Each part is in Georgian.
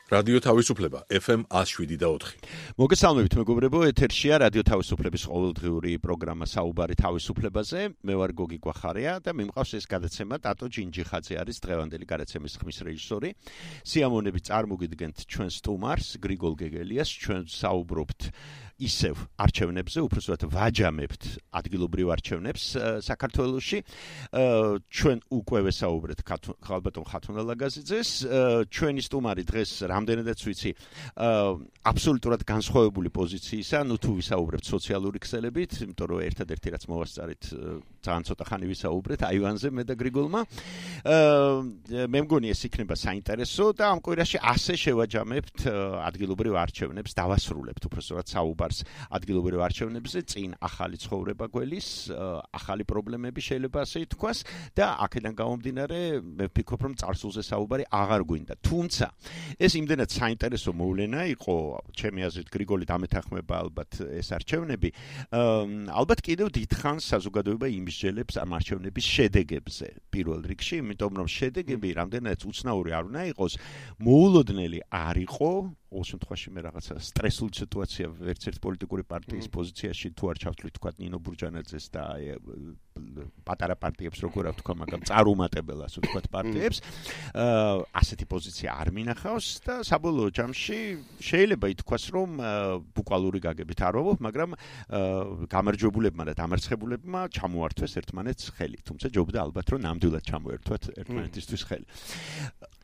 რადიო თავისუფლება FM 107.4. მოგესალმებით მეგობრებო, ეთერშია რადიო თავისუფლების ყოველდღიური პროგრამა საუბარი თავისუფლებაზე. მე ვარ გოგი გვახარია და მიმყავს ეს გადაცემა ტატო ჯინჯიხაძე არის დღევანდელი გადაცემის ხმის რეჟისორი. სიამოვნებით წარმოგიდგენთ ჩვენ სტუმარს გრიგოლ გეგელიას, ჩვენ საუბრობთ ისევ არჩევნებზე, უпроსტად ვაჯამებთ ადგილობრივ არჩევნებს საქართველოში. ჩვენ უკვე ვესაუბრეთ ხალბატონ ხათუნა ლაგაზიძეს, ჩვენი სტუმარი დღეს რამდენადაც ვიცი, აბსოლუტურად განსხვავებული პოზიციისა, თუ ვისაუბრებთ სოციალური ქსელებით, იმიტომ რომ ერთადერთი რაც მოვასწარით, ძალიან ცოტა ხანი ვისაუბრეთ აივანზე მე და გრიგოლმა. მე მგონი ეს იქნება საინტერესო და ამ კვირაში ასე შევაჯამებთ ადგილობრივ არჩევნებს, დავასრულებთ უბრალოდ საუბარს ადგილობრივ არჩევნებზე, წინ ახალი ცხოვრება გველის, ახალი პრობლემები შეიძლება ასე ითქვას და აქედან გამომდინარე მე ვფიქრობ რომ წარსულზე საუბარი აღარ გვინდა. თუმცა ეს იმდენად საინტერესო მოვლენა იყო, ჩემი აზრით გრიგოლი დამეთანხმება ალბათ ეს არჩევნები, ალბათ კიდევ დიდხანს საზოგადოება იმსჯელებს ამ არჩევნების შედეგებზე პირველ რიგში, იმიტომ რომ შედეგები რამდენადაც უცნაური არ უნდა იყოს, მოულოდნელი არ იყო, ყოველ შემთხვევაში მე რაღაცა სტრესული სიტუაცია ვერცერთ პოლიტიკური პარტიის პოზიციაში თუ არ ჩავთვლით თქვა ნინო ბურჯანაძეს და პატარა პარტიებს როგორ ვთქვა, მაგრამ წარუმატებელ ასე ვთქვათ პარტიებს, ასეთი პოზიცია არ მინახავს და საბოლოო ჯამში შეიძლება ითქვას რომ ბუკვალური გაგებით არ ვობ, მაგრამ გამარჯვებულებმა და დამარცხებულებმა ჩამოართვეს ერთმანეთს ხელი, თუმცა ჯობდა ალბათ რომ ნამდვილად ჩამოერთვათ ერთმანეთისთვის ხელი.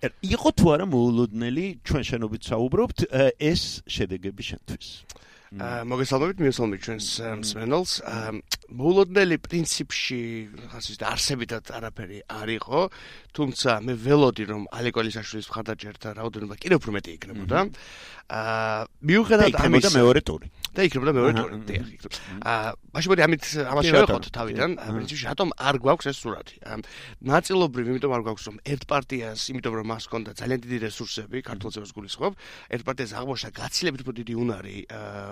იყო თუ არა მოულოდნელი, ჩვენ შენობით საუბრობთ, ეს შედეგები შენთვის? მოგესალმებით, მიესალმებით ჩვენს მსმენელს. მოულოდნელი პრინციპში არსებითად არაფერი არ იყო, თუმცა მე ველოდი რომ ალეკო ელისაშვილის მხარდაჭერა რაოდენობა კიდევ უფრო მეტი იქნებოდა. მიუხედავად ამისა მეორე ტური. და იქნებოდა მეორე ტური. მაშინ მოდი ამას შევეხოთ თავიდან, პრინციპში რატომ არ გვაქვს ეს სურათი? ნაწილობრივ იმიტომ არ გვაქვს რომ ერთ პარტიას, იმიტომ რომ მას ჰქონდა ძალიან დიდი რესურსები, ქართულსაც გულისხმობ, ერთ პარტიას აღმოჩნდა გაცილებით უფრო დიდი უნარი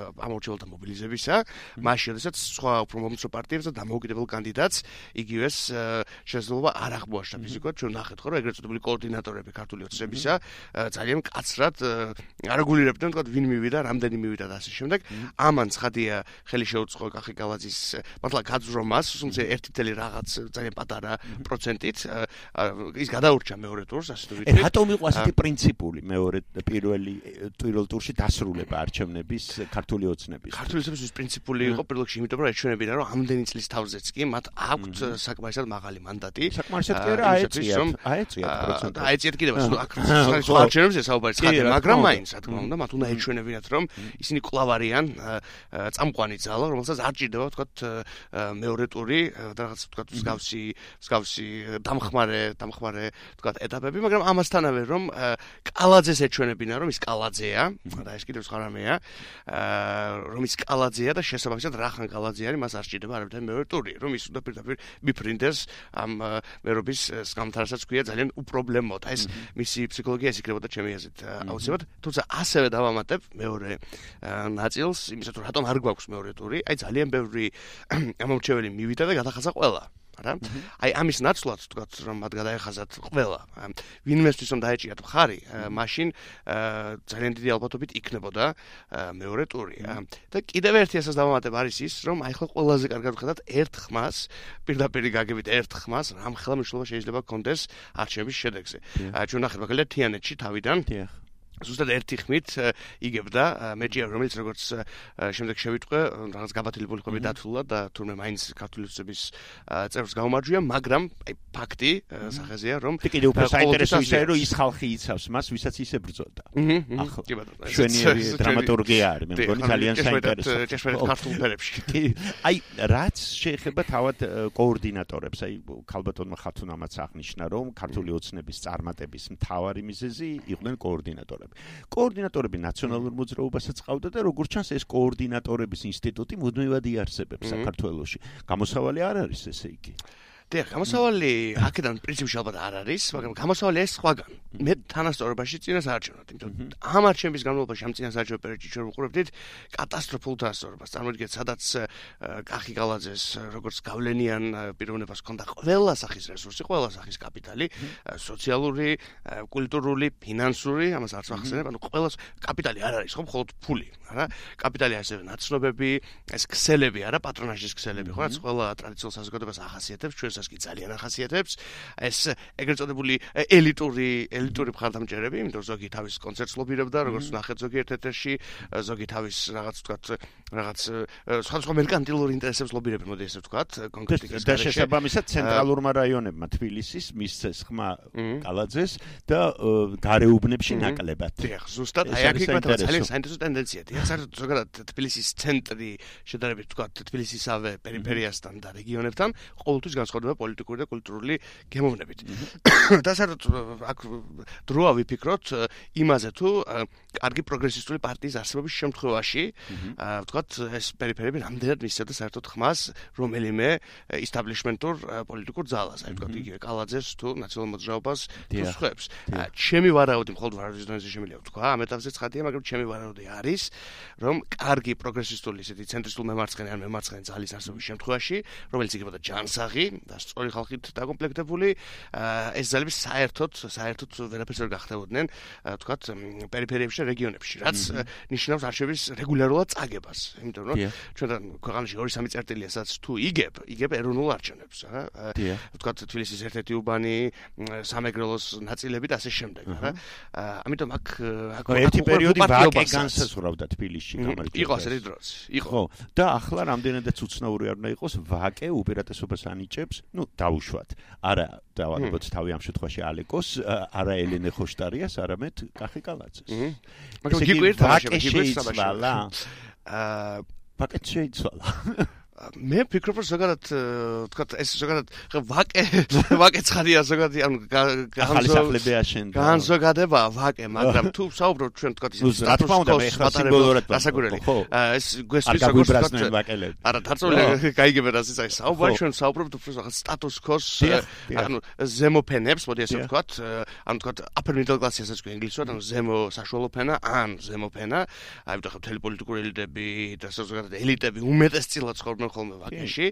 ამორჩეულთა მობილიზებისა, მაშინ როდესაც სხვა უფრო მომცრო პარტიებს და დამოუკიდებელ კანდიდატს იგივეს შესაძლებლობა არ აღმოაჩნდა ფიზიკურად. ჩვენ ნახეთ ხო, რომ ეგრეთ წოდებული კოორდინატორები ქართული ოცნებისა ძალიან მკაცრად არეგულირებდნენ, თქვა ვინ მივიდა, რამდენი მივიდა და ასე შემდეგ. ამან ცხადია ხელი შეუწყო კახი გალაძის მართლა გაძრომას, თუმცა 1 რაღაც ძალიან პატარა პროცენტით ის გადაურჩა მეორე ტურს, ასე თუ ვიტყვით. რატომ იყო ასეთი პრინციპული მეორე პირველ ტურში დასრულება არჩევნების ქართული ოცნების? ქართული ოცნების პრინციპული იყო პირველ რიგში, იმიტომ რომ ეჩვენებინა რომ ამდენი წლის თავზეც კი მათ აქვთ საკმარისად მაღალი მანდატი. საკმარისად კი არა აეციათ და აეციათ კიდევ აქ არჩევნებზე საუბარი ცხადია, მაგრამ მაინც რა თქმა უნდა მათ უნდა ეჩვენებინათ რომ ისინი კვლავ არიან წამყვანი ძალა, რომელსაც არ ჭირდება ვთქვათ მეორე ტური და რაღაც ვთქვათ მსგავსი დამხმარე ვთქვათ ეტაპები, მაგრამ ამასთანავე რომ კალაძეს ეჩვენებინა რომ ის კალაძეა და ეს კიდევ სხვა რამეა, რომ ის კალაძეა და შესაბამისად რახან კალაძე არის, მას არ ჭირდება არაფერი მეორე ტური, რომ ის უნდა პირდაპირ მიფრინდეს ამ მერობის სკამთარსაც ქვია ძალიან უპრობლემოდ. ეს მისი ფსიქოლოგია ის იქნებოდა ჩემი აზრით აუცილებლად, თუმცა ასევე დავამატებ მეორე ნაწილს, იმისათვის რომ რატომ არ გვაქვს მეორე ტური, აი ძალიან ბევრი ამომრჩეველი მივიდა და გადახაზა ყველა. აი ამის ნაცვლად ვთქვათ რომ მათ გადაეხაზათ ყველა. ვინმესთვის რომ დაეჭიათ მხარი, მაშინ ძალიან დიდი ალბათობით იქნებოდა მეორე ტური. და კიდევ ერთი ასას დავამატებ არის ის, რომ აი ხო ყველაზე კარგად ვხედავთ ერთ ხმას, პირდაპირ გაგებით ერთ ხმას, რამ ხელმისაწვდომობა შეიძლება გქონდეს არჩევნების შედეგზე. ჩვენ ნახეთ მაგალითად თიანეთში თავიდან ზუსტად ერთი ხმით იგებდა მეჭია, რომელიც როგორც შემდეგ შევიტყვე, რაღაც გაბათილებული ხმები დათულა და თურმე მაინც ქართული ოცნების წევრს გაუმარჯვია, მაგრამ აი ფაქტი სახეზეა, რომ კიდევ უფრო საინტერესო ისაა, რომ ის ხალხი იცავს მას, ვისაც ისე ბრძოდა. ახლა კი ბატონო, ჩვენი დრამატურგია არის, მე მგონი ძალიან საინტერესო. ჭეშმარიტ ქართულ ფერებში. აი რაც შეეხება თავად კოორდინატორებს, აი ქალბატონმა ხათუნამაც აღნიშნა, რომ ქართული ოცნების წარმატების მთავარი მიზეზი იყვნენ კოორდინატორები. კოორდინატორები ნაციონალურ მოძრაობასაც ყავდა და როგორც ჩანს ეს კოორდინატორების ინსტიტუტი მუდმივად იარსებებს საქართველოში. გამოსავალი არ არის ესე იგი. დიახ, გამოსავალი აქედან პრინციპში ალბათ არ არის, მაგრამ გამოსავალი ეს სხვაგან. მე თანასწორობაში წინასაარჩევნად, იმიტომ ამ არჩევნების განმავლობაში ამ წინასაარჩევნო პერიოდში ჩვენ ვუყურებდით კატასტროფულ თანასწორობას. წარმოგიდგენთ, სადაც კახი კალაძეს როგორც გავლენიან პიროვნებას ჰქონდა ყველა სახის რესურსი, ყველა სახის კაპიტალი, სოციალური, კულტურული, ფინანსური, ამას არც ვახსენებ, ანუ ყველა კაპიტალი არ არის, ხო, მხოლოდ ფული, არა? კაპიტალი ასევე ნაცნობები, ეს ქსელები, არა, პატრონაჟის ქსელები, ხო, რაც ყველა ტრადიციულ საზოგადოებას ახასიათებს, ჩვენსაც კი ძალიან ახასიათებს. ეს ეგრეთ წოდებული ელიტური მხარდამჭერები, იმიტომ ზოგი თავის კონცერტს ლობირებდა, როგორც ნახეთ ზოგი ერთ-ერთში, ზოგი თავის რაღაც სხვადასხვა მერკანტილურ ინტერესებს ლობირებენ, მოდი ესე ვთქვათ, კონკრეტიკას და შესაბამისად ცენტრალურმა რაიონებმა თბილისის მისცეს ხმა კალაძეს და გარეუბნებში ნაკლებად. დიახ, ზუსტად აი აქ იქნება ძალიან საინტერესო ტენდენცია. დიახ, საერთოდ ზოგადად თბილისის ცენტრი შედარებით ვთქვათ თბილისისავე პერიფერიასთან და რეგიონებთან ყოველთვის განსხვავდება პოლიტიკური და კულტურული გემოვნებით. და საერთოდ აქ დროა ვიფიქროთ იმაზე თუ კარგი პროგრესისტული პარტიის არსებობის შემთხვევაში ვთქვათ ეს პერიფერიები რამდენად მისცემდა საერთოდ ხმას რომელიმე ისტაბლიშმენტურ პოლიტიკურ ძალას, აი ვთქვათ იგივე კალაძეს თუ ნაციონალურ მოძრაობას თუ სხვებს. ჩემი ვარაუდი მხოლოდ ვარაუდის დონეზე შემიძლია ვთქვა, ამ ეტაპზე ცხადია, მაგრამ ჩემი ვარაუდი არის, რომ კარგი პროგრესისტული ისეთი ცენტრისტულ მემარცხენე ან მემარცხენე ძალის არსებობის შემთხვევაში, რომელიც იქნებოდა ჯანსაღი და სწორი ხალხით დაკომპლექტებული, ეს ძალები საერთოდ ვერაფერს ვერ გახდებოდნენ, ვთქვათ, პერიფერიებში და რეგიონებში, რაც ნიშნავს არჩევნების რეგულარულად წაგებას. იმიტომ რომ ჩვენთან ქვეყანაში 2-3 წერტილია, სადაც თუ იგებ ეროვნულ არჩევნებს, რა. ვთქვათ, თბილისის ერთ-ერთი უბანი, სამეგრელოს ნაწილები და ასე შემდეგ, რა. ამიტომ აქ ერთი პერიოდი ვაკე განსაზღვრავდა თბილისში, გამარჯვება. იყო ასეთი დროც. იყო. ხო, და ახლა რამდენადაც უცნაური არ უნდა იყოს, ვაკე უპირატესობას ანიჭებს, დაუშვათ. არა დავალებოთ თავი ამ შემთხვევაში ალეკოს, არა ელენე ხოშტარიას, არამედ კახი კალაძეს. მაგრამ გიგვირთ შეიცვალა. ვაკე შეიცვალა. მე ვფიქრობ, რომ ზოგადად ვთქვათ, ეს ზოგადად ვაკე ცხადია ზოგადად, ანუ განზოგადება ვაკე, მაგრამ თუ საუბრობთ ჩვენ ვთქვათ ის სტატუს-კოს დასაგურელი. ეს გვესწრის როგორც ვთქვათ, არა, დაწოლილი გაიგებენ ასე წაი საუბარი, ჩვენ საუბრობთ უფრო რაღაც სტატუს-კოს, ანუ ზემოფენებს, მოდი ესე ვთქვათ, ანუ ვთქვათ upper middle class-ი ასაც გვი ინგლისურად, ანუ ზემო საშუალო ფენა, ან ზემოფენა, აი ვთქვათ, მთელი პოლიტიკური ელიტები და ზოგადად ელიტები უმეტესწილად ცხოვრობენ ხოლმე ვაკეში,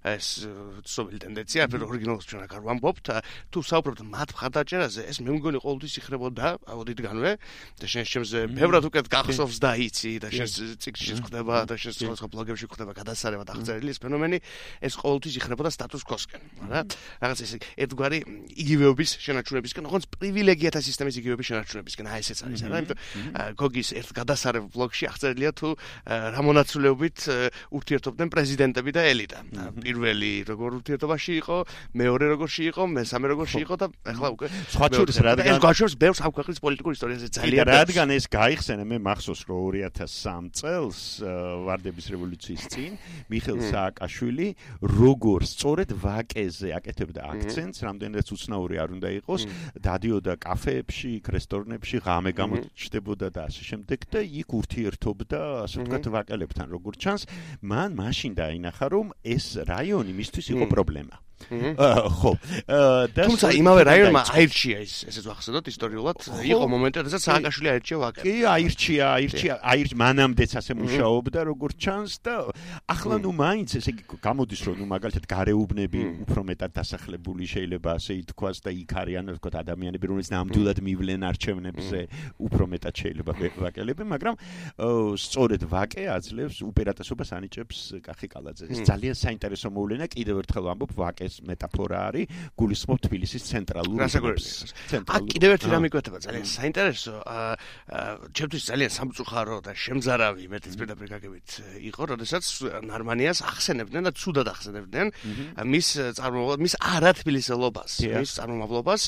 ეს ცნობილი ტენდენცია, pero ორიგინალს ჩვენ აქ არ ვამბობთ, თუ საუბრობთ მათ მხარდაჭერაზე, ეს მე მგონი ყოველთვის იხრებოდა აუდიტგანვე და შემზე ბევრად უკეთ გახსოვს და იცი და შენს ციკლში ხდება და შენს სხვა ბლოგებში ხდება გადასარევად აღწერილი ეს ფენომენი, ეს ყოველთვის იხრებოდა სტატუს-კოსკენ, რა. რაღაც ეს ერთგვარი იგივეობის შენარჩუნებისკენ, როგორც პრივილეგიათა სისტემის იგივეობის შენარჩუნებისკენ, აი ესეც არის, რა. იმიტომ გოგის ერთ გადასარევ ბლოგში აღწერილია თუ რა მონაცვლეობით ურთიერთობდნენ პრეზიდენტები და ელიტა. პირველი როგორ ურთიერთობაში იყო, მეორე როგორში იყო, მესამე როგორში იყო და ახლა უკვე სხვა შორის რადგან ეს გაჩვენებს ბევრს ამ ქვეყნის პოლიტიკურ ისტორიაზე ძალიან რადგან ეს გაიხსენა, მე მახსოვს რომ 2003 წელს ვარდების რევოლუციის წინ მიხეილ სააკაშვილი როგორ სწორედ ვაკეზე აკეთებდა აქცენტს, რამდენადაც უცნაური არ უნდა იყოს, დადიოდა კაფეებში, რესტორნებში, ღამე გამოჩნდებოდა და ასე შემდეგ და იქ ურთიერთობდა, ასე ვთქვათ, ვაკელებთან, როგორც ჩანს, მან მაშინ დაინახა რომ ეს რაიონი მისთვის იყო პრობლემა. ხო. თუმცა იმავე რაიონმა აირჩია ესეც ვახსენოთ ისტორიულად, იყო მომენტი, როდესაც სააკაშვილი აირჩია ვაკე. კი, აირჩია, მანამდეც ასე მუშაობდა, როგორც ჩანს და ახლა მაინც ესე გამოდის რომ მაგალითად გარეუბნები უფრო მეტად დასახლებული შეიძლება ასე ითქვას და იქ არიან თქო ადამიანები, რომლებიც ნამდვილად მივლენ არჩევნებზე, უფრო მეტად შეიძლება ვაკელები, მაგრამ სწორედ ვაკე აძლევს უპირატესობას ანიჭებს კახი კალაძეს. ეს ძალიან საინტერესო მოვლენა, კიდევ ერთხელ ვამბობ, ვაკე მეტაფორა არის, გულისხმობ თბილისის ცენტრალურ რეგიონს. აქ კიდევ ერთი რამ იკვეთება ძალიან საინტერესო, ჩემთვის ძალიან სამწუხარო და შემზარავი მეტიც პირდაპირ გაგებით იყო, როდესაც ნარმანიას ახსენებდნენ და ცუდად ახსენებდნენ მის წარმომავლობას, მის არათბილისელობას, მის წარმომავლობას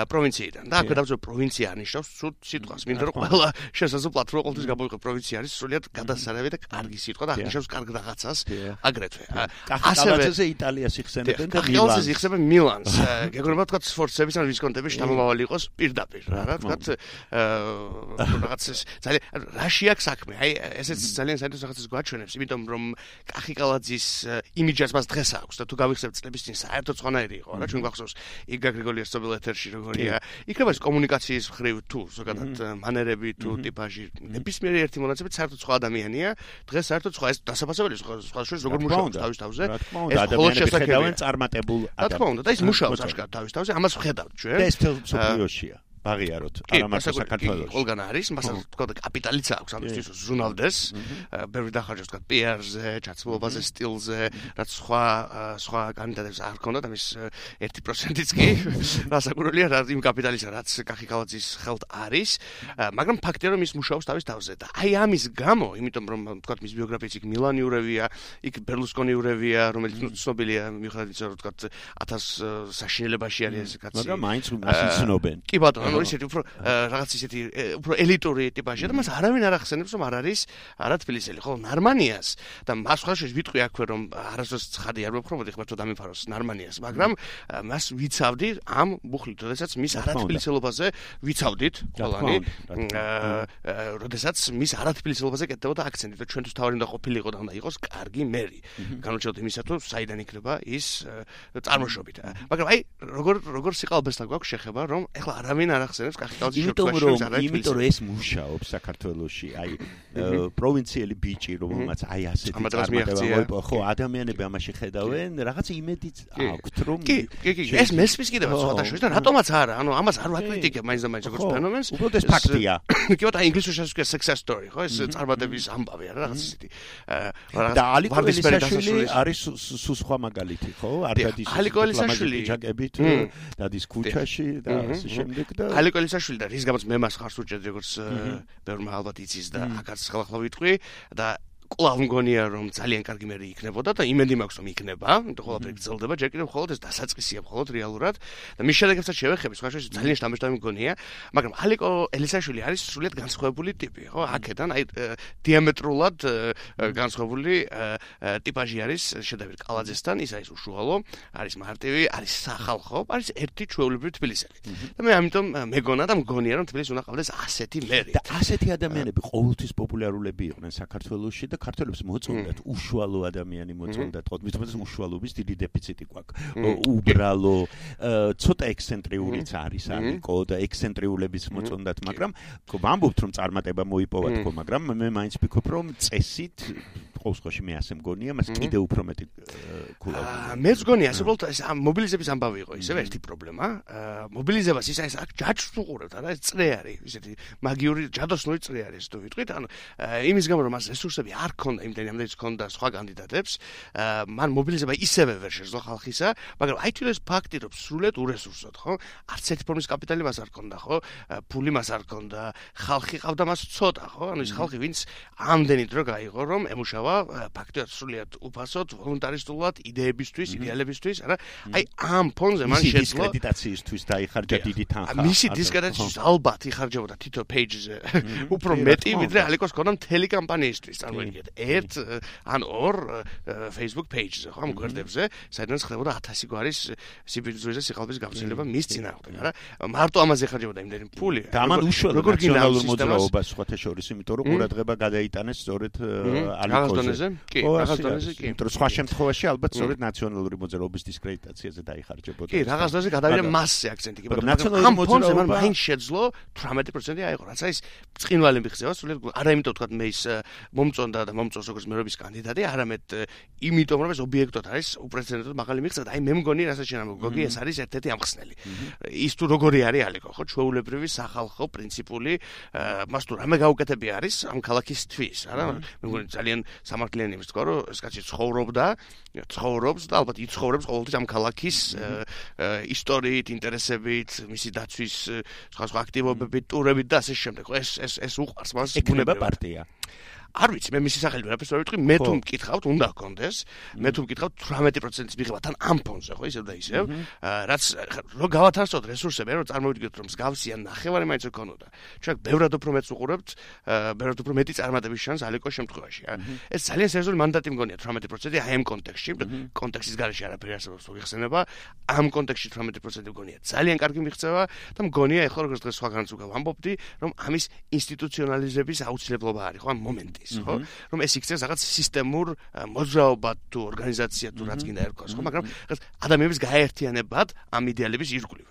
პროვინციიდან. და აქვე დავწერე პროვინცია ანიშნავს ცუდ სიტყვას, მინდა რომ ყველა შესაძლებლად რო ყოველთვის გამოიყო პროვინცია არის სრულიად გადასარევი და კარგი სიტყვა და აღნიშნავს კარგ რაღაცას აგრეთვე. კახი კალაძეზე იტალიას იხსენებდნენ და კახკალაძე იხსება მილანს. გეგონება თქვა სფორცების ან ვისკონტების შთამომავალი იყოს პირდაპირ, რა თქვა რაღაც ძალიან რაში აქვს საქმე. აი ესეც ძალიან საინტერესო რაღაცას გვაჩვენებს, იმიტომ რომ კახკალაძის იმიჯაც მას დღეს აქვს და თუ გავიხსენებ წლების წინ საერთოდ სხვანაირი იყო, რა ჩვენ გვახსოვს იგა გრიგოლიას სოციალურ ეთერში როგორია. იქნება ეს კომუნიკაციის მხრივ თუ ზოგადად მანერები თუ ტიპაჟი ნებისმიერი ერთი მონაცემით საერთოდ სხვა ადამიანია. დღეს საერთოდ სხვა ეს დასაფასებელი სხვა შორის როგორ მუშაობს თავის თავზე. ეს ადამიანები ხედავენ წარმატებულ ადამიანებს. რა თქმა უნდა და ის მუშაობს აშკარად თავის თავზე, ამას ვხედავთ ჩვენ. და ეს მსოფლიოშია. აღიაროთ არამარტო საქართველოში. ყველგან არის, მასალ თქვა კაპიტალიც აქვს ამისთვის ზუნავდეს. ბევრი დახარჯავს თქვა PR-ზე, ჩაცმულობაზე, სტილზე, რაც სხვა კანდიდატებს არ ჰქონდათ, ამის 1%-იც კი რასაკურველია რა იმ კაპიტალისა, რაც კახკალაძის ხელთ არის, მაგრამ ფაქტია რომ ის მუშაობს თავის თავზე და აი ამის გამო, იმიტომ რომ თქვა მის ბიოგრაფიაც იქ მილანიურევია, იქ ბერლუსკონიურევია, რომელიც ცნობილია მიუხედავად იმისა, რომ თქვა 1000 საშინელებაში არის ეს კაცი. მაგრამ მაინც იცნობენ. კი ბატონო ისეთი უფრო რაღაც ისეთი უფრო ელიტური ტიპაჟია და მას არავინ არ ახსენებს რომ არ არის არა თბილისელი ხო ნარმანიას და მას ხალხში ვიტყვი აქვე რომ არასდროს ცხადი არ მოფრობოდი ღმერთო დამიფაროს ნარმანიას მაგრამ მას ვიცავდი ამ ბუხლით როდესაც მის არათბილისელობაზე ვიცავდით ყველანი როდესაც მის არათბილისელობაზე კეთდებოდა აქცენტი და ჩვენთვის თავი უნდა ყოფილიყო და უნდა იყოს კარგი მერი განუჩნდათ იმისა თუ საიდან იქნება ის წარმოშობით მაგრამ აი როგორ სიყალბესთან გვაქვს შეხება რომ ეხლა არავინ არ ახსენებს კახკალაძის იმიტომ რომ ეს მუშაობს საქართველოში აი პროვინციელი ბიჭი რომელმაც აი ასეთი წარმატება მოიპოვა ხო ადამიანები ამაში ხედავენ რაღაც იმედიც აქვთ რომ კი ეს მესმის კიდევ სხვათა შორის და რატომაც არა ანუ ამას არ ვაკრიტიკებ მაინც და მაინც როგორც ფენომენს უბრალოდ ეს ფაქტია კი ბატონო ინგლისურში ასვია success story ხო ეს წარმატების ამბავი არა რაღაც ისეთი და ალიკო ელისაშვილი არის სულ სხვა მაგალითი ხო არ დადის ალიკო ელისაშვილი ჯაკებით დადის ქუჩაში და ასე შემდეგ და ალიკო ელისაშვილი და რის გამოც მე მას ხარს უჭერდი როგორც ბევრმა ალბათ იცის და აქაც ხელახლა ვიტყვი და კვლავ მგონია რომ ძალიან კარგი მერი იქნებოდა და იმედი მაქვს რომ იქნება, იმიტომ ყველაფერი გრძელდება, ჯერ კიდევ მხოლოდ ეს დასაწყისია მხოლოდ რეალურად და მის შედეგებსაც შევეხები, სხვა შორის ძალიან შთამბეჭდავი მგონია, მაგრამ ალიკო ელისაშვილი არის სრულიად განსხვავებული ტიპი, ხო? აქედან აი დიამეტრულად განსხვავებული ტიპაჟი არის შედევრი კალაძესთან, ის არის უშუალო, არის მარტივი, არის სახალხო, არის ერთი ჩვეულებრივი თბილისელი. და მე ამიტომ მეგონა და მგონია რომ თბილისს უნდა ყავდეს ასეთი მერი. და ასეთი ადამიანები ყოველთვის პოპულარულები იყვნენ საქართველოში და ქართველებს მოწონდათ უშუალო ადამიანი მოწონდათ ხო მithomets უშუალობის დიდი დეფიციტი გვაქვს უბრალო ცოტა ექსცენტრიულიც არის ალიკო და ექსცენტრიულების მოწონდათ მაგრამ ვამბობთ რომ წარმატება მოიპოვათ ხო მაგრამ მე მაინც ვფიქრობ რომ წესით ყოველში მე ასე მგონია მას კიდე უფრო მეტი კულავია მეც მგონია ასე უბრალოდ ეს მობილიზების ამბავი იყო ისევ ერთი პრობლემა მობილიზებას ის აქ ჯაჭვს უყურებთ არა ეს წრე არის ისეთი მაგიური ჯადოსნური წრე არის თუ ვიტყვით ანუ იმის გამო რომ მას რესურსები არ ქონდა იმდენი ამდენიც ქონდა სხვა კანდიდატებს მან მობილიზება ისევე ვერ შეძლო ხალხისა მაგრამ აი თუ ეს ფაქტი რომ სრულიად ურესურსოდ ხო არც ერთი ფორმის კაპიტალი მას არ ქონდა ხო ფული მას არ ქონდა ხალხი ყავდა მას ცოტა ხო ანუ ის ხალხი ვინც ამდენი დრო გაიღო რომ ემუშავა ფაქტიურად სრულიად უფასოდ ვოლუნტარისტულად იდეებისთვის იდეალებისთვის არა აი ამ ფონზე მან შეძლო დისკრედიტაციისთვის დაიხარჯა დიდი თანხა მისი დისკრედიტაციის ალბათ იხარჯებოდა თითო პეიჯზე უფრო მეტი ვიდრე ალიკოს ქონდა მთელი კამპანიისთვის წარმოიდგინეთ ერთ ან ორ Facebook page-ზე ხო ამ გვერდებზე საერთოდ ხდებოდა 1000 გვარის სიბიძვეზე სიყალბის გავრცელება მის წინააღმდეგ არა მარტო ამაზე იხარჯებოდა იმდენი ფული და ამან უშუალო ნაციონალურ მოძრაობას სხვათა შორის იმიტომ რომ ყურადღება გადაიტანეს სწორედ ალიკოზე კი რაღაც დონეზე კი იმიტომ რომ სხვა შემთხვევაში ალბათ სწორედ ნაციონალური მოძრაობის დისკრედიტაციაზე დაიხარჯებოდა კი რაღაც დონეზე გადავიდა მასზე აქცენტი კი მაგრამ ამ ფონზე მან მაინც შეძლო 18% აიღო რაც არის წინვალი მიხსევა სულ არა იმიტომ თქვა მე ის მომწონდა და მომწონს როგორც მერობის კანდიდატი არამედ იმიტომ რომ ეს ობიექტოდ არის უპრეცედენტოდ მაღალი მიღწევა და აი მე მგონი რასაც შენა გოგი ეს არის ერთ-ერთი ამხსნელი ის თუ როგორი არის ალიკო ხო ჩვეულებრივი სახალხო პრინციპული მას თუ რამე გაუკეთები არის ამ ქალაქისთვის არა მე მგონი ძალიან სამართლიანი იმის თქვა რომ ეს კაცი ცხოვრობს და ალბათ იცხოვრებს ყოველთვის ამ ქალაქის ისტორიით ინტერესებით მისი დაცვის სხვა აქტივობებით ტურებით და ასე შემდეგ ეს უყვარს მას ეკნება პარტია არ ვიცი, მე მისი სახელი ვერაფერს ვერ ვიტყვი, მე თუ მკითხავთ, უნდა გქონდეს, მე თუ მკითხავთ 18%-ის მიღება თან ამ ფონზე, ხო, ისევ და ისევ, რაც რო გავათანხმოთ რესურსები, რომ წარმოვიდგინოთ, რომ მსგავსია ნახევარი მაინც გქონოდა. ჩვენ ბევრად უფრო მეც უყურებთ, ბევრად უფრო მეტი წარმატების შანსს ალეკოს შემთხვევაში. ეს ძალიან სერიოზული მანდატი მგონია 18% აი ამ კონტექსტში, კონტექსტის გარეშე არაფერი არსებობს მოიხსენება, ამ კონტექსტში 18% მგონია ძალიან კარგი მიღწევა და მგონია ეხლა როგორც დღეს სხვაგანაც უკვე ვამბობდი, რომ ამის ინსტიტუციონალიზების აუცილებლობა არის, ხო, ამ მომენტის, ხო, რომ ეს იქცეს რაღაც სისტემურ მოძრაობა თუ ორგანიზაცია თუ რაც გინდა ერქოს, ხო, მაგრამ რაღაც ადამიანების გაერთიანებად ამ იდეალების ირგვლივ.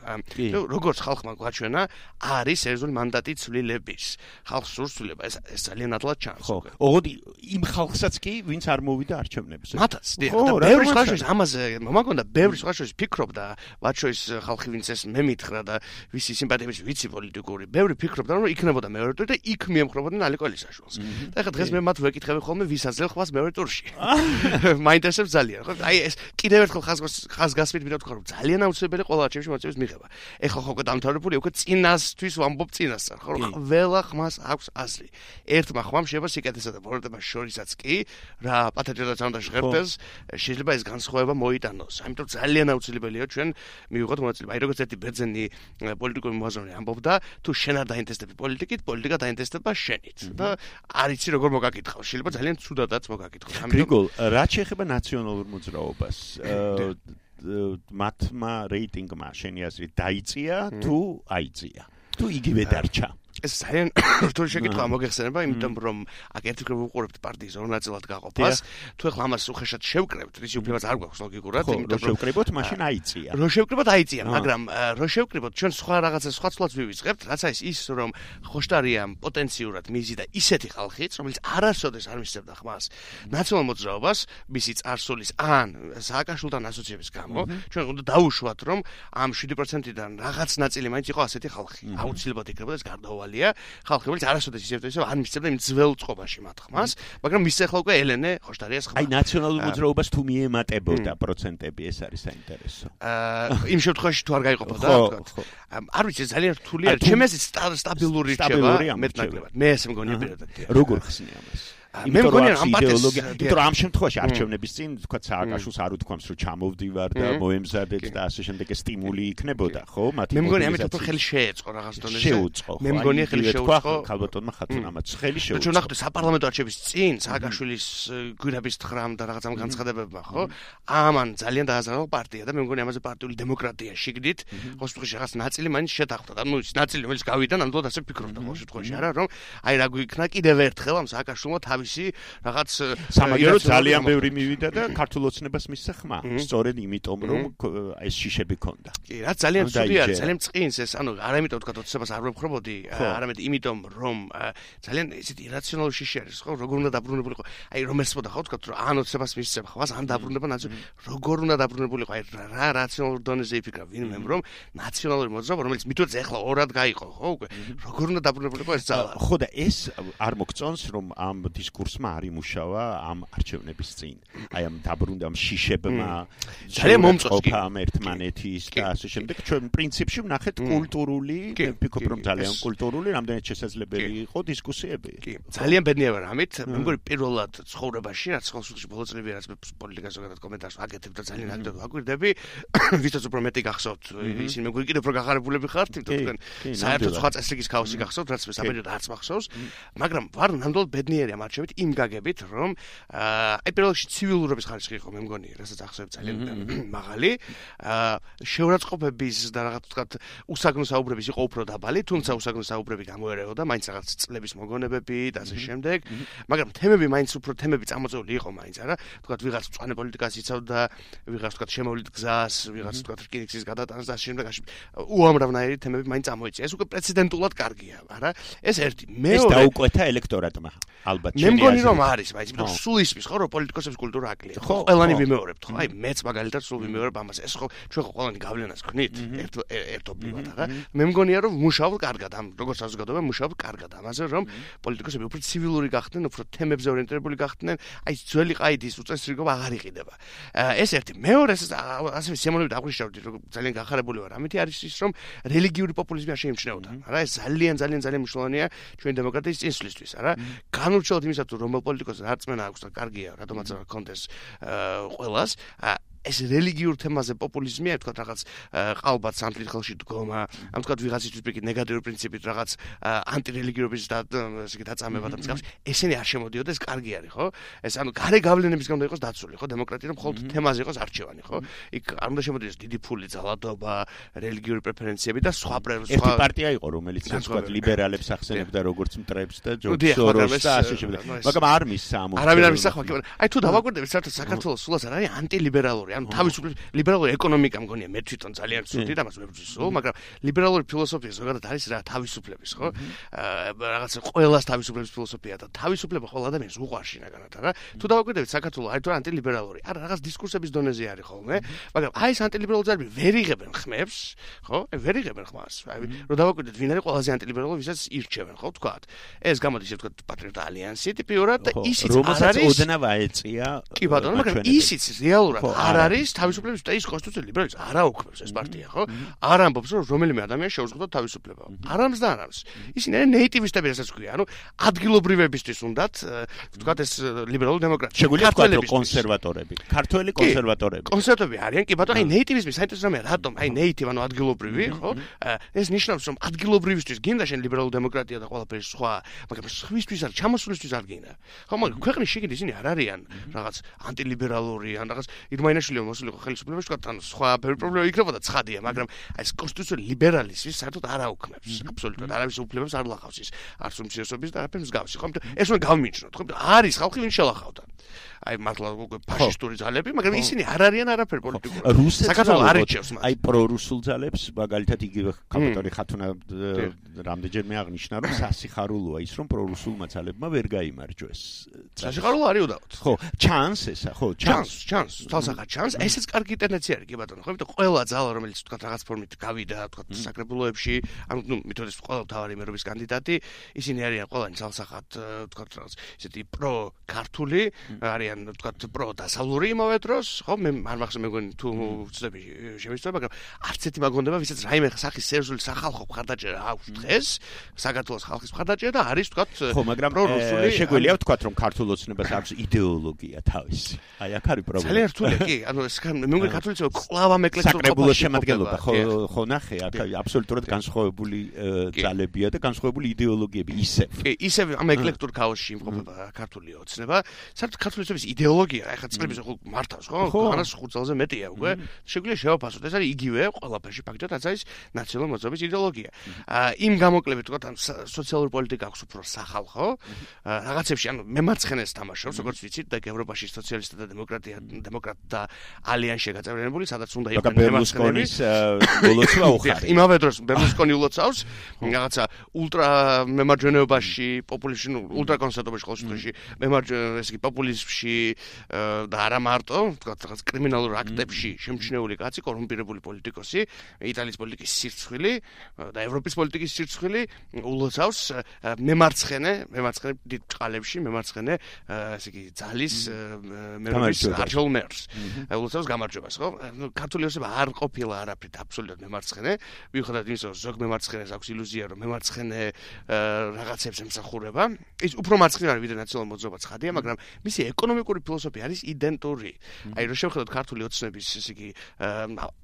როგორც ხალხმა გვაჩვენა, არის სერიოზული მანდატი ცვლილების. ხალხს სურს ცვლილება, ეს ძალიან ადლად ჩანს. ხო, ოღონდ იმ ხალხსაც კი, ვინც არ მოვიდა არჩევნებზე. მათაც, და ბევრი სხვა შორის ამაზე მომაგონდა, ბევრი სხვა შორის ფიქრობდა, მათ შორის ხალხი ვინც ეს მე მითხრა და ვისი სიმპათიების ვიცი პოლიტიკური, ბევრი ფიქრობდა, რომ იქნებოდა მეორე ტური და იქ მიემხრობოდნენ ალეკო ელისაშვილს. და ეხლა დღეს მე მათ ვეკითხები ხოლმე, ვის აძლევ ხვას მეორე ტურში. მაინტერესებს ძალიან, ხო? აი ეს კიდევ ერთხელ ხაზგასმით მინდა ვთქვა, რომ ძალიან აუცილებელი ყველა არჩევნებში მოწვევის მიღება. ეხლა ხო უკვე დამთავრებული, უკვე წინასთვის ვამბობ წინასწარ, ხო? ყველა ხმას აქვს აზრი. ერთმა ხმამ შეიძლება სიკეთესა და ბოროტებას შორისაც კი რა პათეჯადაც უნდა ჟღერდეს, შეიძლება ეს განსხვავება მოიტანოს. ამიტომ ძალიან აუცილებელია ჩვენ მივიღოთ მონაწილეობა. აი როგორც ერთი ბერძენი პოლიტიკური მოაზროვნე ამბობდა, თუ შენ არ დაინტერესდები პოლიტიკით, პოლიტიკა დაინტერესდება შენით. და არ იცი როგორ მოგაკითხავ, შეიძლება ძალიან ცუდადაც მოგაკითხოს. გრიგოლ, რაც შეეხება ნაციონალურ მოძრაობას, მათმა რეიტინგმა შენი აზრით დაიწია თუ აიწია? თუ იგივე დარჩა? ეს ძალიან რთული შეკითხვაა მოგეხსენება, იმიტომ რომ აქ ერთგვარ ვუყურებთ პარტიის ორ ნაწილად გაყოფას. თუ ეხლა ამას უხეშად შევკრებთ, ისი უფლებაც არ გვაქვს ლოგიკურად, იმიტომ რომ შევკრებოთ, მაშინ აიწია. რო შევკრებოთ აიწია, მაგრამ რო შევკრებოთ, ჩვენ სხვა რაღაცა სხვა ცვლას ვივიწყებთ, რაც არის ის, რომ ხოშტარია პოტენციურად მიზიდა ისეთი ხალხიც, რომელიც არასოდეს არ მისცემდა ხმას ნაციონალურ მოძრაობას, მისი წარსულის ან სააკაშვილთან ასოციების გამო, ჩვენ უნდა დაუშვათ, რომ ამ 7%-დან რაღაც ნაწილი მაინც იყო ასეთი ხალხი. აუცილებლად იქნებოდა ეს გარდაუვალი ხალხი, რომელიც არასოდეს ისევ არ მისცემდა იმ ძველ წყობაში მათ ხმას, მაგრამ მისცე ახლა უკვე ელენე ხოშტარიას ხმა. აი ნაციონალურ მოძრაობას თუ მიემატებოდა პროცენტები, ეს არის საინტერესო. იმ შემთხვევაში თუ არ გაიყოფოდა, თქვა. არ ვიცი, ძალიან რთული არის. ჩემს სტაბილური რჩება მეტნაკლებად. მე ესე მგონია პირადად. როგორ ხსნი ამას? მე მგონია ამ იდეოლოგია, იმიტომ რომ ამ შემთხვევაში არჩევნების წინ თქვა სააკაშვილს არ უთქვამს რომ ჩამოვდივარ და მოემზადეთ და ასე შემდეგ სტიმული იქნებოდა, ხო? მე მგონია ამით უფრო ხელი შეეწყო რაღაც დონეზე. შეუწყო. მე მგონია ხელი შეუწყო. ქალბატონმა ხათუნამაც ხელი შეუწყო. ჩვენ ნახეთ საპარლამენტო არჩევნების წინ სააკაშვილის გვირაბის თხრამ და რაღაც ამ განცხადებებმა, ხო? ამან ძალიან დააზარალა პარტია და მე მგონია ამაზე პარტიული დემოკრატია შიგდით, ხო, სიტყვაში რაღაც ნაწილი მაინც შეთანხმდა. ანუ ის ნაწილი რომელიც გავიდა, ნამდვილად ასე ფიქრობდა ხო სიტყვაში არა, რომ აი რა გვიქნა კიდევ ერთხელ ამ სააკაშვილმა რაღაც სამაგერო ძალიან ბევრი მივიდა და ქართულ ოცნებას მისცა ხმა. სწორედ იმიტომ რომ ეს შიშები ქონდა. კი, რა ძალიან ცუდი არის, ძალიან წყინს ეს, ანუ არა იმიტომ თქვა ოცნებას არ ვებხრობოდი, არამედ იმიტომ რომ ძალიან ისეთი ირაციონალური შიში არის, ხო, როგორ უნდა დაბრუნებულიყო. აი რომ ესმოდა ხო თქვა რომ ან ოცნებას მისცემ ხმას, ან დაბრუნება როგორ უნდა დაბრუნებულიყო, აი რა რაციონალურ დონეზე იფიქრა ვინმე რომ ნაციონალური მოძრაობა რომელიც მითაც ეხლა ორად გაიყო, ხო, უკვე როგორ უნდა დაბრუნებულიყო ეს ძალა. ხო და ეს არ მოგწონს რომ ამ დისკურსმა არ იმუშავა ამ არჩევნების წინ. აი ამ დაბრუნდამ შიშებმა ძალიან მომწონს კი ამ ერთმანეთის და ასე შემდეგ. ჩვენ პრინციპში ვნახეთ კულტურული, ვფიქრობ რომ ძალიან კულტურული, რამდენიც შესაძლებელი იყო დისკუსიები. კი, ძალიან ბედნიერ ვარ ამით. მე მგონი პირველად ცხოვრებაში, რაც ხელსუხში ბოლო წლები რაც პოლიტიკას ზოგადად კომენტარს ვაკეთებ და ძალიან აქტიურად ვაკვირდები, ვისაც უფრო მეტი გახსოვთ, ისინი მე მგონი კიდევ უფრო გახარებულები ხართ, იმიტომ თქვენ საერთოდ სხვა წესრიგის ქაოსი გახსოვთ, რაც მე საბედნიეროდ არც მახსოვს, მაგრამ ვარ ნამდვილად ბედნიერი ამ არჩევნით იმ გაგებით, რომ აი პირველ რიგში ცივილურობის ხარისხი იყო, მე მგონი, რასაც ახსოვებ ძალიან მაღალი. შეურაცხყოფების და რაღაც თქვა უსაგნო საუბრების იყო უფრო დაბალი, თუმცა უსაგნო საუბრები გამოერეოდა, მაინც რაღაც წლების მოგონებები და ასე შემდეგ. მაგრამ თემები მაინც უფრო თემები წამოწეული იყო მაინც, არა? თქვა ვიღაც მწვანე პოლიტიკას იცავდა, ვიღაც თქვა შემოვლით გზას, ვიღაც თქვა რკინიგზის გადატანას და ასე შემდეგ. უამრავნაირი თემები მაინც წამოიწია. ეს უკვე პრეცედენტულად კარგია, არა? ეს ერთი. ეს დაუკვეთა ელექტორატმა, ალბათ. მე მგონი რომ არის, բայց იმიტომ სულ ისმის ხო რომ პოლიტიკოსების კულტურა აკლია. ხო, ყველანი ვიმეორებთ, ხო? აი მეც მაგალითად სულ ვიმეორებ ამას. ეს ხო ჩვენ ხო ყველანი გავლენას გქნით ერთობლივად, არა? მე მგონია რომ მუშაობ კარგად ამ როგორც საზოგადოება მუშაობ კარგად ამაზე რომ პოლიტიკოსები უფრო ცივილური გახდნენ, უფრო თემებზე ორიენტირებული გახდნენ. აი ძველი ყაიდის უწესრიგობა აღარ იყიდება. ეს ერთი. მეორე ასე სიამოვნებით აღვნიშნავდი რომ ძალიან გახარებული ვარ. ამითი არის ის რომ რელიგიური პოპულიზმი არ შეიმჩნეოდა. არა? ეს ძალიან მნიშვნელოვანია ჩვენი დემოკრატიის წინსვლისთვის, არა? განურჩევლად იმის იმისა თუ რომელ პოლიტიკოსს რწმენა აქვს და კარგია რატომაც არ კონდეს ყველას ეს რელიგიურ თემაზე პოპულიზმია, თქვა რაღაც ყალბად სამთლით ხელში დგომა, ამ თქვა ვიღაცისთვის პირიქით ნეგატიური პრინციპით რაღაც ანტირელიგიურობის და ესე იგი დაწამება და მსგავს, ესენი არ შემოდიოდეს, კარგი არის, ხო? ეს ანუ გარე გავლენების გამო იყოს დაცული, ხო? დემოკრატია რომ მხოლოდ თემაზე იყოს არჩევანი, ხო? იქ არ უნდა შემოდიოდეს დიდი ფული, ძალადობა, რელიგიური პრეფერენციები და სხვა ერთი პარტია იყო, რომელიც თქვა ლიბერალებს ახსენებდა როგორც მტრებს და ჯორჯ სოროსს და ასე შემდეგ. მაგრამ არ მისცა ამ არავინ არ მისცა, აი თუ დავაკვირდებით, საერთოდ საქართველოს სულაც არ არის ანტილიბერალური ანუ თავისუფლების ლიბერალური ეკონომიკა მგონია მე თვითონ ძალიან ცუდი და მას მებრძვის სულ, მაგრამ ლიბერალური ფილოსოფია ზოგადად არის რა თავისუფლების, ხო? რაღაც ყველას თავისუფლების ფილოსოფია და თავისუფლება ყოველ ადამიანს უყვარს შინაგანად, რა. თუ დავაკვირდებით საქართველოს არის თუ ანტილიბერალური, არა რაღაც დისკურსების დონეზე არის ხოლმე, მაგრამ აი ეს ანტილიბერალური ძალები ვერ იღებენ ხმებს, ხო? ვერ იღებენ ხმას. აი რომ დავაკვირდეთ ვინ არის ყველაზე ანტილიბერალური, ვისაც ირჩევენ, ხო, თქვათ. ეს გამოდის ისე თქვათ პატრიოტთა ალიანსი ტიპიურად და ისიც არ არის ოდნავ აეწია. კი ბატონო, მაგრამ ისიც რეალურად არ არის თავისუფლების და ის კონსტიტუციური ლიბერალიზმს არ აუქმებს ეს პარტია, ხო? არ ამბობს რომ რომელიმე ადამიანს შეუძლია თავისუფლება. არ ამბობს და არ ამბობს. ისინი არიან ნეიტივისტები, რასაც ქვია, ანუ ადგილობრივებისთვის უნდათ, ვთქვათ ეს ლიბერალური დემოკრატია. შეგვიძლია თქვა რომ კონსერვატორები, ქართველი კონსერვატორები. კონსერვატორები არიან, კი ბატონო, აი ნეიტივიზმი საინტერესო რამეა, რატომ? აი ნეიტივ ანუ ადგილობრივი, ხო? ეს ნიშნავს რომ ადგილობრივისთვის გინდა შენ ლიბერალური დემოკრატია და ყველაფერი სხვა, მაგრამ სხვისთვის არ ჩამოსვლისთვის არ გინდა. ხო, მაგრამ ქვეყნის შიგნით ისინი არ არიან რაღაც ანტილიბერალური ან რაღაც ირმაინაშვილი მოსულიყო ხელისუფლებას თქვა თან სხვა ბევრი პრობლემა იქნებოდა ცხადია, მაგრამ აი ეს კონსტიტუციური ლიბერალიზმი საერთოდ არ აუქმებს. აბსოლუტურად არავის უფლებებს არ ლახავს ის არც უმცირესობის და არაფერ მსგავსი, ხო? ეს უნდა გავმიჩნოთ, ხო? არის ხალხი ვინ შელახავდა. აი მართლა ფაშისტური ძალები, მაგრამ ისინი არ არიან არაფერ პოლიტიკური. საქართველოს არ ეჩევს მათ. აი პრორუსულ ძალებს, მაგალითად იგივე კაპიტანი ხათუნა რამდენჯერმე აღნიშნა, რომ სასიხარულოა ის, რომ პრორუსულმა ძალებმა ვერ გაიმარჯვეს. სასიხარულო არის უდავოდ. ხო, ჩანს ესა, ხო, ჩანს, თალსახად ჩანს. ესეც კარგი ტენდენცია არის, კი ბატონო, ხო? იმიტომ ყველა ძალა, რომელიც თქვა რაღაც ფორმით გავიდა, თქვა საკრებულოებში, ანუ ნუ მითოდეს ყველა მთავარი მერობის კანდიდატი, ისინი არიან ყველანი თალსახად, თქვა რაღაც ისეთი პრო-ქართული, არიან თქვა პრო-დასავლური იმავე დროს, ხო? მე არ მახსოვს მეგონი თუ ვწდები შემისწრება, მაგრამ არც ერთი მაგონდება, ვისაც რაიმე სახის სერიოზული სახალხო მხარდაჭერა აქვს დღეს, საქართველოს ხალხის მხარდაჭერა და არის თქვა პრორუსული. შეგვიძლია ვთქვათ, რომ ქართულ ოცნებას აქვს იდეოლოგია თავისი. აი აქ არის პრობლემა. ძალიან რთულია, კი, ანუ ეს მე მგონი ქართულიც კლავამ ეკლექტურობა საკრებულოს შემადგენლობა, ხო ნახე, აქ აბსოლუტურად განსხვავებული ძალებია და განსხვავებული იდეოლოგიები ისევ. კი, ისევ ამ ეკლექტურ ქაოსში იმყოფება ქართული ოცნება. საერთოდ ქართული ოცნების იდეოლოგია, ეხლა წლების მართავს, ხო? ხანას 5 წელზე მეტია უკვე. შეგვიძლია შევაფასოთ, ეს არის იგივე ყველაფერში ფაქტობრივად რაც არის ნაციონალური მოძრაობის იდეოლოგია. იმ გამოკლებით თქვა თან სოციალური პოლიტიკა აქვს უფრო სახალხო. რაღაცებში ანუ მემარცხენეს თამაშობს, როგორც ვიცით, და ევროპაში სოციალისტთა და დემოკრატთა ალიანსი გაწევრიანებული, სადაც უნდა იყვნენ მემარცხენეების ულოცვა უხარი. იმავე დროს ბერლუსკონი ულოცავს რაღაცა ულტრა მემარჯვენეობაში, პოპულიზმში, ულტრა კონსერვატობაში ყოველ შემთხვევაში, ესე იგი პოპულიზმში და არა მარტო, თქვა რაღაც კრიმინალურ აქტებში შემჩნეული კაცი, კორუმპირებული პოლიტიკოსი, იტალიის პოლიტიკის სირცხვილი და ევროპის პოლიტიკის სირცხვილი ულოცავს მემარცხენე დიდ წყალებში მემარცხენე ესე იგი ძალის მერობის არჩეულ მერს. ულოცავს გამარჯვებას, ხო? ქართული ოცნება არ ყოფილა არაფრით აბსოლუტურად მემარცხენე, მიუხედავად იმისა, რომ ზოგ მემარცხენეს აქვს ილუზია, რომ მემარცხენე რაღაცებს ემსახურება. ის უფრო მარცხნივ არის ვიდრე ნაციონალური მოძრაობა ცხადია, მაგრამ მისი ეკონომიკური ფილოსოფია არის იდენტური. აი რომ შევხედოთ ქართული ოცნების ესე იგი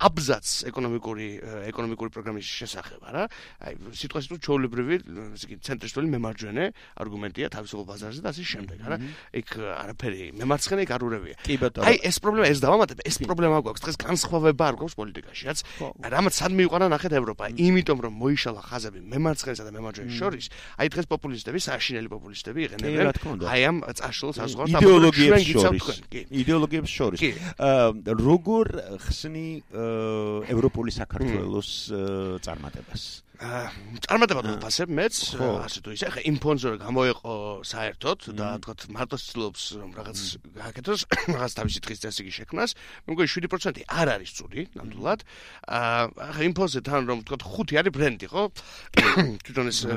აბზაც ეკონომიკური პროგრამის შესახებ, არა? აი სიტყვას თუ ჩაოლებრივი ესე იგი ცენტრისტული მემარჯვენე არგუმენტია თავისუფალ ბაზარზე და ასე შემდეგ, არა? იქ არაფერი მემარცხენე იქ არ ურევია. აი ეს პრობლემა ეს დავამატებ, ეს პრობლემა გვაქვს დღეს განსხვავება არ გვაქვს პოლიტიკაში, რამაც სად მიიყვანა ნახეთ ევროპა, იმიტომ რომ მოიშალა ხაზები მემარცხენესა და მემარჯვენეს შორის, აი დღეს პოპულისტები, საშინელი პოპულისტები იყენებენ აი ამ წაშლილ საზღვარს იდეოლოგიებს შორის. როგორ ხსნი ევროპული საქართველოს წარმატებას? წარმატება დავფასებ მეც, ასე თუ ისე, ხა იმ ფონზე რომ გამოეყო საერთოდ და თქვა მარტო ცდილობს რომ რაღაც გააკეთოს, რაღაც თავისი დღის წესრიგი შექმნას, მე მგონი 7% არ არის ცუდი, ნამდვილად. ხა იმ ფონზე თან რომ თქვა 5 არის ბრენდი, ხო? თვითონ ეს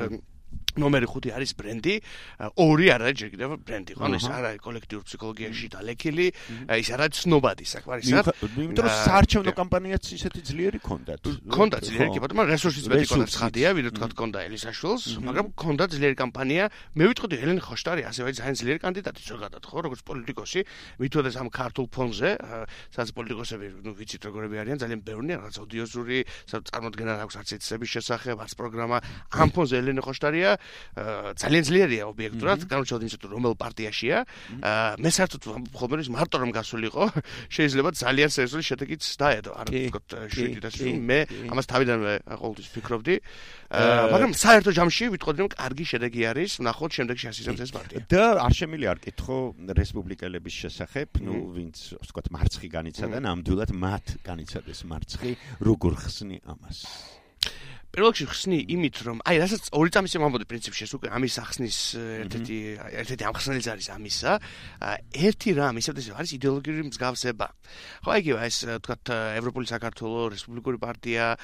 ნომერი 5 არის ბრენდი, 2 არ არის ჯერ კიდევ ბრენდი, ხო? ეს არ არის კოლექტიურ ფსიქოლოგიაში დალექილი, ის არ არის ცნობადი საქმე, იმიტომ რომ საარჩევნო კამპანიაც ისეთი ძლიერი ქონდათ. ქონდა ძლიერი, კი ბატონო, რესურსის მეტი ქონდა ცხადია, ვიდრე თქვა ქონდა ელისაშვილს, მაგრამ ქონდა ძლიერი კამპანია. მე ვიტყოდი ელენე ხოშტარი ასევე ძალიან ძლიერი კანდიდატი ზოგადად, ხო, როგორც პოლიტიკოსი, მithოდეს ამ ქართულ ფონზე, სადაც პოლიტიკოსები, ვიცით როგორები არიან, ძალიან ბევრია, რაღაც ოდიოზური, წარმოდგენა აქვს არც ეთსების შესახებ, არც პროგრამა. ამ ფონზე ელენე ხოშტარია ძალიან ძლიერია ობიექტურად, განსაკუთრებით იმისათვის რომ რომელ პარტიაშია. მე საერთოდ ხოლმე მარტო რომ გასულიყო, შეიძლება ძალიან სერიოზული შედეგიც დაედო. არ ვთქვათ 7-ში მე ამას თავიდანვე ყოველთვის ვფიქრობდი. მაგრამ საერთო ჯამში ვიტყოდი რომ კარგი შედეგი არის, ვნახოთ შემდეგში ასიზამს ეს პარტია. და არ შემიძლია არ კითხო რესპუბლიკელების შესახებ, ვინც ვთქვათ მარცხი განიცადა, ნამდვილად მათ განიცადეს მარცხი, როგორ ხსნი ამას? პირველ რიგში ხსნი იმით, რომ აი რასაც 2 წამის მომბოდი პრინციპში ეს უკვე ამის ახსნის ერთ-ერთი ამხსნელიც არის ამისა. ერთი რამ ისევ არის იდეოლოგიური მსგავსება. ხო, იგივე ეს თქვათ ევროპული საქართველო, რესპუბლიკური პარტია,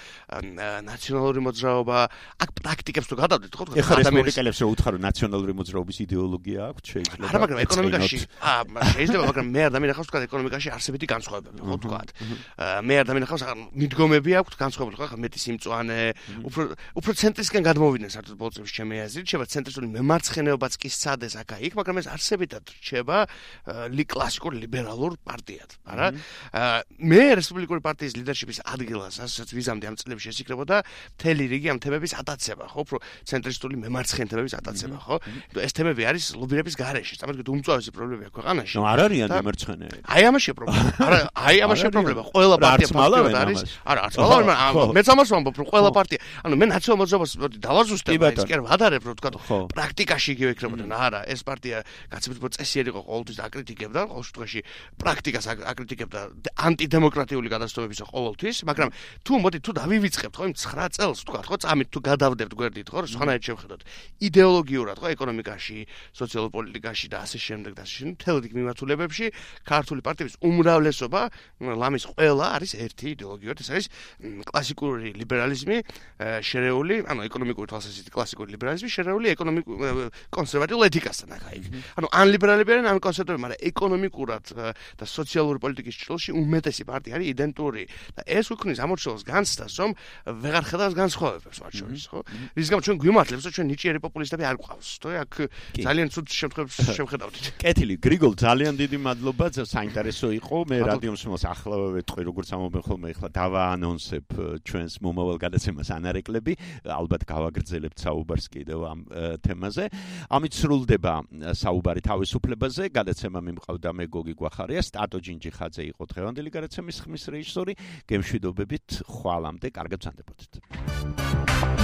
ნაციონალური მოძრაობა, აქ პრაქტიკებს თუ გადავდეთ, ხო, თქვათ რესპუბლიკელებს რო უთხარო ნაციონალური მოძრაობის იდეოლოგია აქვს, შეიძლება. არა, მაგრამ ეკონომიკაში, შეიძლება, მაგრამ მე არ დამინახავს თქვათ ეკონომიკაში არსებითი განსხვავებები, ხო, თქვათ. მე არ დამინახავს მიდგომები აქვს განსხვავებული, ხო, მეტი სიმწვანე უფრო ცენტრისკენ გადმოვიდნენ საერთოდ ბოლოს ჩემი აზრით, შევა ცენტრისტული მემარცხენეობაც კი სცადეს აქა-იქ, მაგრამ ეს არსებითად რჩება კლასიკურ ლიბერალურ პარტიად, არა? მე რესპუბლიკური პარტიის ლიდერშიპის ადგილას, ასაც ვიზამდი ამ წლებში შესიკრებოდა მთელი რიგი ამ თემების ატაცება, ხო? უფრო ცენტრისტული მემარცხენე თემების ატაცება, ხო? ეს თემები არის ლობირების გარეშე, წარმოიდგინეთ უმწვავესი პრობლემები აქვს ქვეყანაში. ნუ არ არიან მემარცხენეები. აი ამაშია პრობლემა. არა, აი ამაშია პრობლემა. ყველა პარტია ფაქტობრივად არის. არა, არც მალავენ, მეც ამას ვამბობ, რომ ყველა პარტია ანუ მე ნაციონალურ მოძრაობას დავაზუსტებ, ის კი არ ვადარებ, რომ თქვა პრაქტიკაში იგივე იქნებოდა. არა, ეს პარტია გაცილებით წესიერი იყო, ყოველთვის აკრიტიკებდა, ყოველ შემთხვევაში პრაქტიკას აკრიტიკებდა ანტიდემოკრატიული გადასტურებისა ყოველთვის, მაგრამ თუ დავივიწყებთ, ხო, იმ 9 წელს, თქვა, ხო, წამით თუ გადავდებთ გვერდით, ხო, სხვანაირად შევხედოთ. იდეოლოგიურად, ხო, ეკონომიკაში, სოციალურ პოლიტიკაში და ასე შემდეგ და ასე შემდეგ, მთელ რიგ მიმართულებებში ქართული პარტიების უმრავლესობა, ლამის ყველა არის ერთი იდეოლოგიურად, ეს არის კლასიკური ლიბერალიზმი, შერეული, ანუ ეკონომიკური თვალსაზრისით კლასიკური ლიბერალიზმი, შერეული კონსერვატიულ ეთიკასთან აქ-იქ. ანუ ან ლიბერალები არიან, ან კონსერვატორები, მაგრამ ეკონომიკურად და სოციალური პოლიტიკის ჭრილში უმეტესი პარტია არის იდენტური და ეს უქმნის ამორჩეულს განცდას, რომ ვეღარ ხედავს განსხვავებებს მათ შორის, ხო? რის გამო ჩვენ გვიმართლებს, რომ ჩვენ ნიჭიერი პოპულისტები არ გვყავს, ხო? აქ ძალიან ცუდ შემთხვევებს შევხედავთ. კეთილი, გრიგოლ, ძალიან დიდი მადლობა, საინტერესო იყო. მე რადიო მსმენელს ახლავე ვეთყვი, როგორც ამობენ ხოლმე, ახლა დავაანონსებ ჩვენს მომავალ გადაცემას ანარეკლები, ალბათ გავაგრძელებთ საუბარს კიდევ ამ თემაზე. ამით სრულდება საუბარი თავისუფლებაზე. გადაცემა მიმყავდა მე გოგი გვახარია, სტატო ჯინჯიხაძე იყო დღევანდელი გადაცემის ხმის რეჟისორი. გემშვიდობებით, ხვალამდე, კარგად ვსანდებოდეთ.